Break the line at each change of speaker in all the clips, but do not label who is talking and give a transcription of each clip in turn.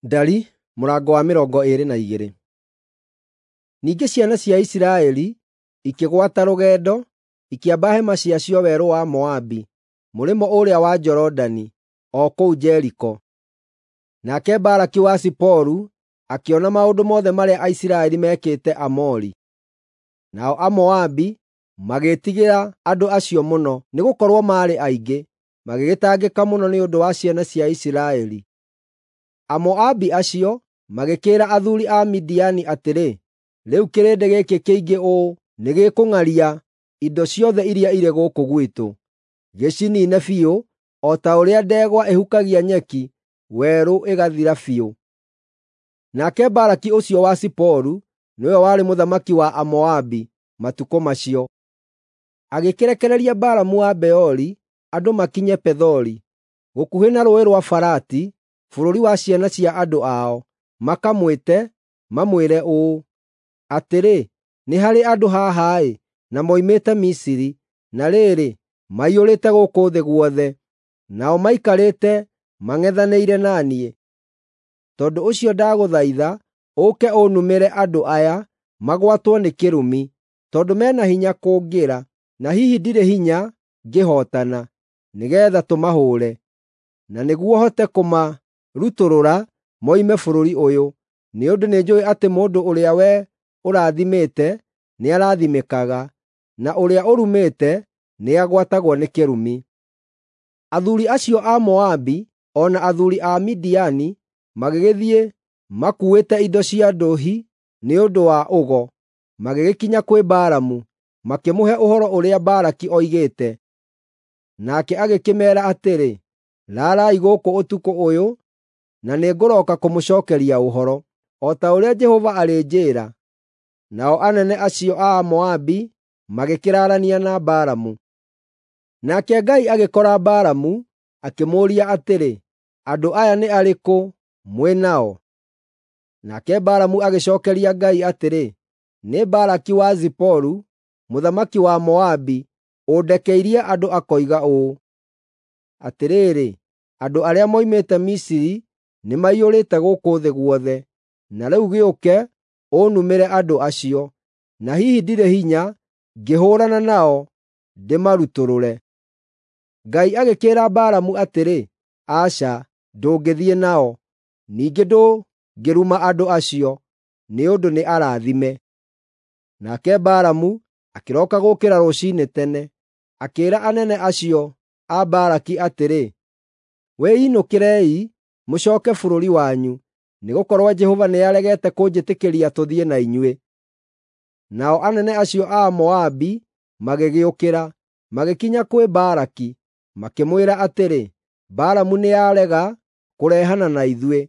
Ndari mũrango wa 22. Ningĩ ciana cia Isiraeli ikĩgwata rũgendo, ikĩamba hema ciacio werũ wa Moabi, mũrĩmo ũrĩa wa Jorodani, o kũu Jeriko. Nake Balaki wa Ziporu akĩona maũndũ mothe marĩa Aisiraeli meekĩte Aamori. Nao Amoabi magĩĩtigĩra andũ acio mũno, nĩgũkorwo maarĩ aingĩ, magĩgĩtangĩka mũno nĩ ũndũ wa ciana cia Isiraeli. Amoabi acio magĩkĩĩra athuuri a Midiani atĩrĩ, “Rĩu kĩrĩndĩ gĩkĩ kĩingĩ ũũ nĩgĩkũng'aria indo ciothe iria irĩ gũkũ gwitũ, gĩciniine biũ, o ta ũrĩa ndegwa ĩhukagia nyeki werũ ĩgathira biũ.” Nake Balaki ũcio wa Ziporu nĩwe warĩ mũthamaki wa Amoabi matukũ macio. Agĩkĩrekereria Balamu wa Beori andũ makinye Pethori, gũkuhĩ na Rũũĩ rwa Farati, bũrũri wa ciana cia andũ ao, makamwĩte, mamwĩre ũũ, “Atĩrĩ, nĩ harĩ andũ haha-ĩ, na moimĩte Misiri, na rĩrĩ, maiyũrĩte gũkũ thĩ guothe, nao maikarĩte mang'ethanĩire na niĩ. Tondũ ũcio ndagũthaitha ũũke ũnumĩre andũ aya magwatwo nĩ kĩrumi, tondũ me na hinya kũngĩra, na hihi ndirĩ hinya ngĩhootana, nĩgeetha tũmahũũre, na nĩguo hote kũmarutũrũra moime bũrũri ũyũ, nĩ ũndũ nĩnjũũĩ atĩ mũndũ ũrĩa wee ũrathimĩte nĩarathimĩkaga, na ũrĩa ũrumĩte nĩagwatagwo nĩ kĩrumi.” Athuuri acio a Moabi o na athuuri a Midiani magĩgĩthiĩ makuuĩte indo cia ndũũhi nĩ ũndũ wa ũgo, magĩgĩkinya kwĩ Balamu, makĩmũhe ũhoro ũrĩa Balaki oigĩte. Nake agĩkĩmeera atĩrĩ, “Raarai gũkũ ũtukũ ũyũ, na nĩngũrooka kũmũcookeria ũhoro, o ta ũrĩa Jehova arĩnjĩĩra.” Nao anene acio a Moabi magĩkĩraarania na Balamu. Nake Ngai agĩkora Balamu, akĩmũũria atĩrĩ, “Andũ aya nĩ arĩkũ mwĩ nao?” Nake Balamu agĩcookeria Ngai atĩrĩ, “Nĩ Balaki wa Ziporu, mũthamaki wa Moabi, ũndekeirie andũ akoiga ũũ: ‘Atĩrĩrĩ, andũ arĩa moimĩte Misiri nĩmaiyũrĩte gũkũ thĩ guothe, na rĩu gĩũke ũnumĩre andũ acio, na hihi ndirĩ hinya ngĩhũũrana nao ndĩmarutũrũre.’ ” Ngai agĩkĩĩra Balamu atĩrĩ, “Aca, ndũngĩthiĩ nao, ningĩ ndũngĩruma andũ acio, nĩ ũndũ nĩ arathime.” Nake Balamu akĩroka gũũkĩra rũciinĩ tene, akĩĩra anene acio a Balaki atĩrĩ, “Wĩinũkĩrei mũcooke bũrũri wanyu, nĩgũkorwo Jehova nĩaregete kũnjĩtĩkĩria tũthiĩ na inyuĩ.” Nao anene acio a Moabi magĩgĩũkĩra, magĩkinya kwĩ Balaki, makĩmwĩra atĩrĩ, “Balamu nĩarega kũrehana na ithuĩ.”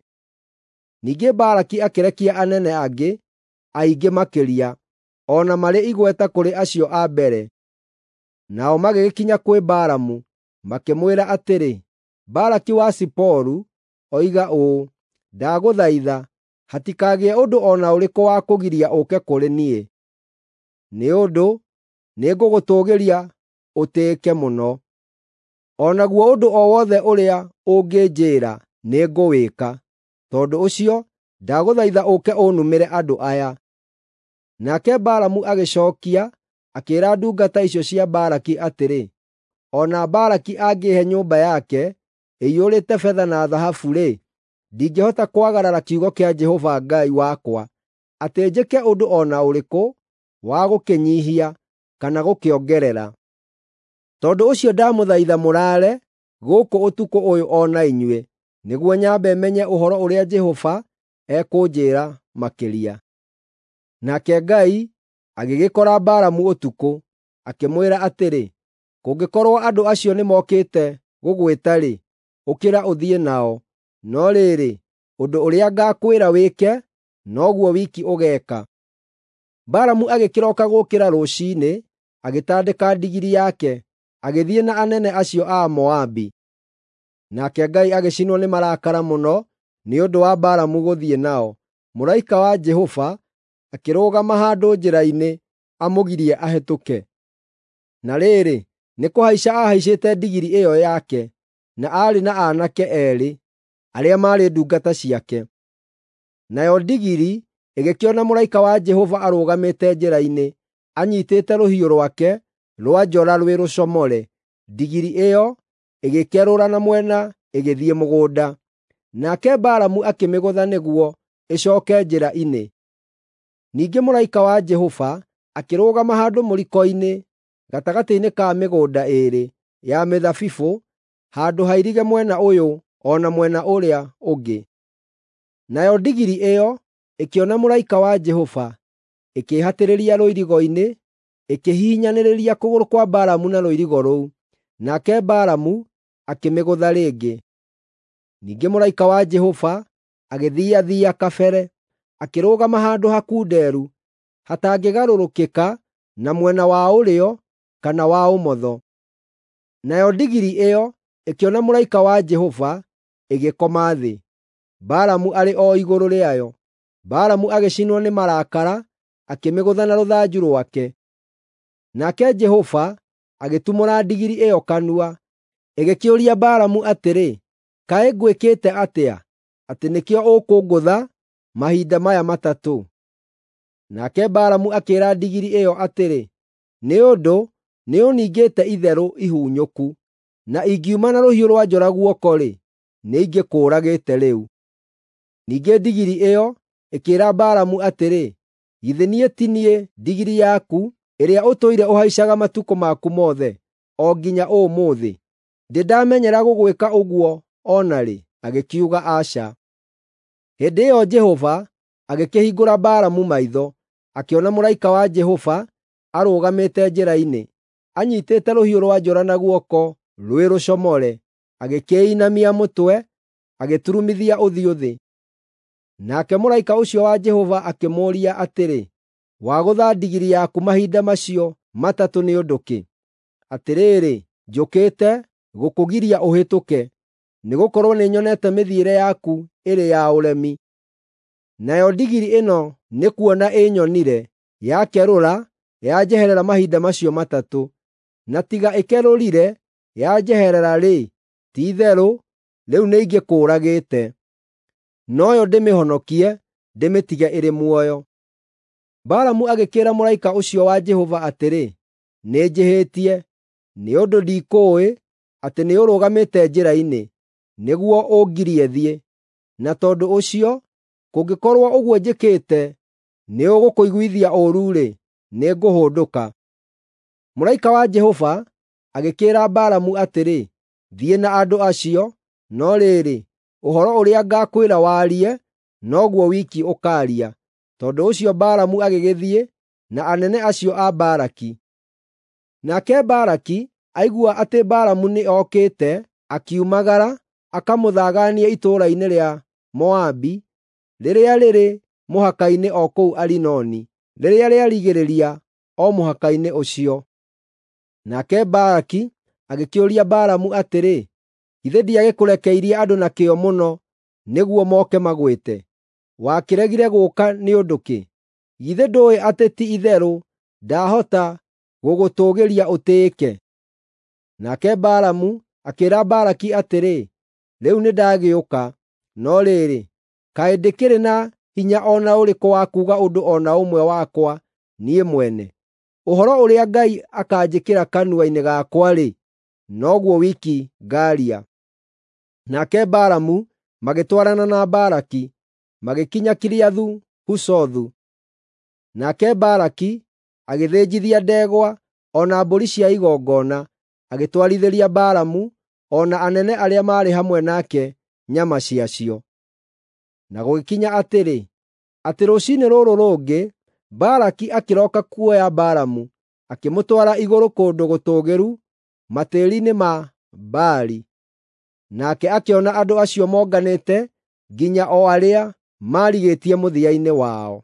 Ningĩ Balaki akĩrekia anene angĩ, aingĩ makĩria, o na marĩ igweta kũrĩ acio a mbere. Nao magĩgĩkinya kwĩ Balamu, makĩmwĩra atĩrĩ, “Balaki wa Ziporu oiga ũũ: ‘Ndagũthaitha, hatikagĩe ũndũ o na ũrĩkũ wa kũgiria ũũke kũrĩ niĩ, nĩ ũndũ nĩngũgũtũũgĩria ũtĩĩke mũno. O naguo ũndũ o wothe ũrĩa ũngĩnjĩĩra nĩngũwĩka. Tondũ ũcio ndagũthaitha ũũke ũnumĩre andũ aya.’ ” Nake Balamu agĩcookia, akĩĩra ndungata icio cia Balaki atĩrĩ, “O na Balaki angĩĩhe nyũmba yake ĩiyũrĩte betha na thahabu-rĩ, ndingĩhota kwagarara kiugo kĩa Jehova Ngai wakwa, atĩ njĩke ũndũ o na ũrĩkũ wa gũkĩnyiihia kana gũkĩongerera. Tondũ ũcio ndamũthaitha mũraare gũkũ ũtukũ ũyũ o na inyuĩ, nĩguo nyambe menye ũhoro ũrĩa Jehova ekũnjĩĩra makĩria.” Nake Ngai agĩgĩkora Balamu ũtukũ, akĩmwĩra atĩrĩ, “Kũngĩkorwo andũ acio nĩmokĩte gũgwĩta-rĩ, ũkĩra ũthiĩ nao, no rĩrĩ, ũndũ ũrĩa ngaakwĩra wĩke, noguo wiki ũgeeka.” Balamu agĩkĩroka gũũkĩra rũciinĩ, agĩtandĩka ndigiri yake, agĩthiĩ na anene acio a Moabi. Nake Ngai agĩcinwo nĩ marakara mũno nĩ ũndũ wa Balamu gũthiĩ nao. Mũraika wa Jehova akĩrũgama handũ njĩra-inĩ amũgirie ahĩtũke. Na rĩrĩ, nĩ kũhaica aahaicĩte ndigiri ĩyo yake, na aarĩ na aanake eerĩ arĩa maarĩ ndungata ciake. Nayo ndigiri ĩgĩkĩona mũraika wa Jehova arũgamĩte njĩra-inĩ, anyiitĩte rũhiũ rwake rwa njora rwĩ rũcomore. Ndigiri ĩyo ĩgĩkerũra na mwena ĩgĩthiĩ mũgũnda. Nake Balamu akĩmĩgũtha nĩguo ĩcooke njĩra-inĩ. Ningĩ mũraika wa Jehova akĩrũgama handũ mũriko-inĩ gatagatĩ-inĩ ka mĩgũnda ĩĩrĩ ya mĩthabibũ, handũ hairige mwena ũyũ o na mwena ũrĩa ũngĩ. Nayo ndigiri ĩyo ĩkĩona mũraika wa Jehova, ĩkĩĩhatĩrĩria rũirigo-inĩ, ĩkĩhihinyanĩrĩria kũgũrũ kwa Balamu na rũirigo rũu, nake Balamu akĩmĩgũtha rĩngĩ. Ningĩ mũraika wa Jehova agĩthiathia kabere, akĩrũgama handũ hakunderu, hatangĩgarũrũkĩka na mwena wa ũrĩo kana wa ũmotho. Nayo ndigiri ĩyo ĩkĩona mũraika wa Jehova, ĩgĩkoma thĩ, Balamu arĩ o igũrũ rĩayo. Balamu agĩcinwo nĩ marakara, akĩmĩgũtha na rũthanju rwake. Nake Jehova agĩtumũra ndigiri ĩyo kanua, ĩgĩkĩũria Balamu atĩrĩ, “Kaĩ ngwĩkĩte atĩa, atĩ nĩkĩo ũkũngũtha mahinda maya matatũ?” Nake Balamu akĩĩra ndigiri ĩyo atĩrĩ, “Nĩ ũndũ nĩũningĩte itherũ ihunyũku, na ingiuma na rũhiũ rwa njora guoko-rĩ, nĩingĩkũũragĩte rĩu.” Ningĩ ndigiri ĩyo ĩkĩĩra Balamu atĩrĩ, “Githĩ niĩ ti niĩ ndigiri yaku ĩrĩa ũtũire ũhaicaga matukũ maku mothe, o nginya ũmũthĩ? Ndĩ ndamenyera gũgwĩka ũguo o na rĩ?” Agĩkiuga, “Aca.” Hĩndĩ ĩyo Jehova agĩkĩhingũra Balamu maitho, akĩona mũraika wa Jehova arũgamĩte njĩra-inĩ, anyiitĩte rũhiũ rwa njora na guoko rwĩ rũcomore. Agĩkĩinamia mũtwe, agĩturumithia ũthiũ thĩ. Nake mũraika ũcio wa Jehova akĩmũũria atĩrĩ, “Wagũtha ndigiri yaku mahinda macio matatũ nĩ ũndũ kĩ? Atĩrĩrĩ, njũkĩte gũkũgiria ũhĩtũke, nĩgũkorwo nĩnyonete mĩthiĩre yaku ĩrĩ ya ũremi. Nayo ndigiri ĩno nĩkuona ĩnyonire, yakerũra yanjeherera mahinda macio matatũ. Na tiga ĩkerũrire yanjeherera-rĩ, ti-itherũ rĩu nĩingĩkũũragĩte. Noyo ndĩmĩhonokie, ndĩmĩtige ĩrĩ muoyo.” Balamu agĩkĩĩra mũraika ũcio wa Jehova atĩrĩ, “Nĩnjĩhĩtie, nĩ ũndũ ndikũũĩ atĩ nĩũrũgamĩte njĩra-inĩ, nĩguo ũngirie thiĩ. Na tondũ ũcio, kũngĩkorwo ũguo njĩkĩte nĩũgũkũiguithia ũũru-rĩ, nĩngũhũndũka.” Mũraika wa Jehova agĩkĩĩra Balamu atĩrĩ, “Thiĩ na andũ acio, no rĩrĩ, ũhoro ũrĩa ngaakwĩra warie, noguo wiki ũkaaria.” Tondũ ũcio Balamu agĩgĩthiĩ na anene acio a Balaki. Nake Balaki aigua atĩ Balamu nĩokĩte, akiumagara akamũthagaanie itũũra-inĩ rĩa Moabi rĩrĩa rĩrĩ mũhaka-inĩ o kũu Arinoni, rĩrĩa rĩarigĩrĩria o mũhaka-inĩ ũcio. Nake Balaki agĩkĩũria Balamu atĩrĩ, “Githĩ ndiagĩkũrekeirie andũ na kĩyo mũno nĩguo moke magwĩte? Wakĩregire gũũka nĩ ũndũ kĩ? Githĩ ndũũĩ atĩ ti-itherũ ndahota gũgũtũũgĩria ũtĩĩke?” Nake Balamu akĩĩra Balaki atĩrĩ, “Rĩu nĩndagĩũka, no rĩrĩ, kaĩ ndĩkĩrĩ na hinya o na ũrĩkũ wa kuuga ũndũ o na ũmwe wakwa niĩ mwene? Ũhoro ũrĩa Ngai akaanjĩkĩra kanua-inĩ gakwa-rĩ, noguo wiki ngaaria.” Nake Balamu magĩtwarana na Balaki, magĩkinya Kiriathu-Huzothu. Nake Balaki agĩthĩnjithia ndegwa o na mbũri cia igongona, agĩtwarithĩria Balamu o na anene arĩa maarĩ hamwe nake nyama ciacio. Na gũgĩkinya atĩrĩ, atĩ rũciinĩ rũrũ rũngĩ, Balaki akĩroka kuoya Balamu, akĩmũtwara igũrũ kũndũ gũtũũgĩru matĩĩri-inĩ ma Baali. Nake akĩona andũ acio monganĩte nginya o arĩa maarigĩtie mũthia-inĩ wao.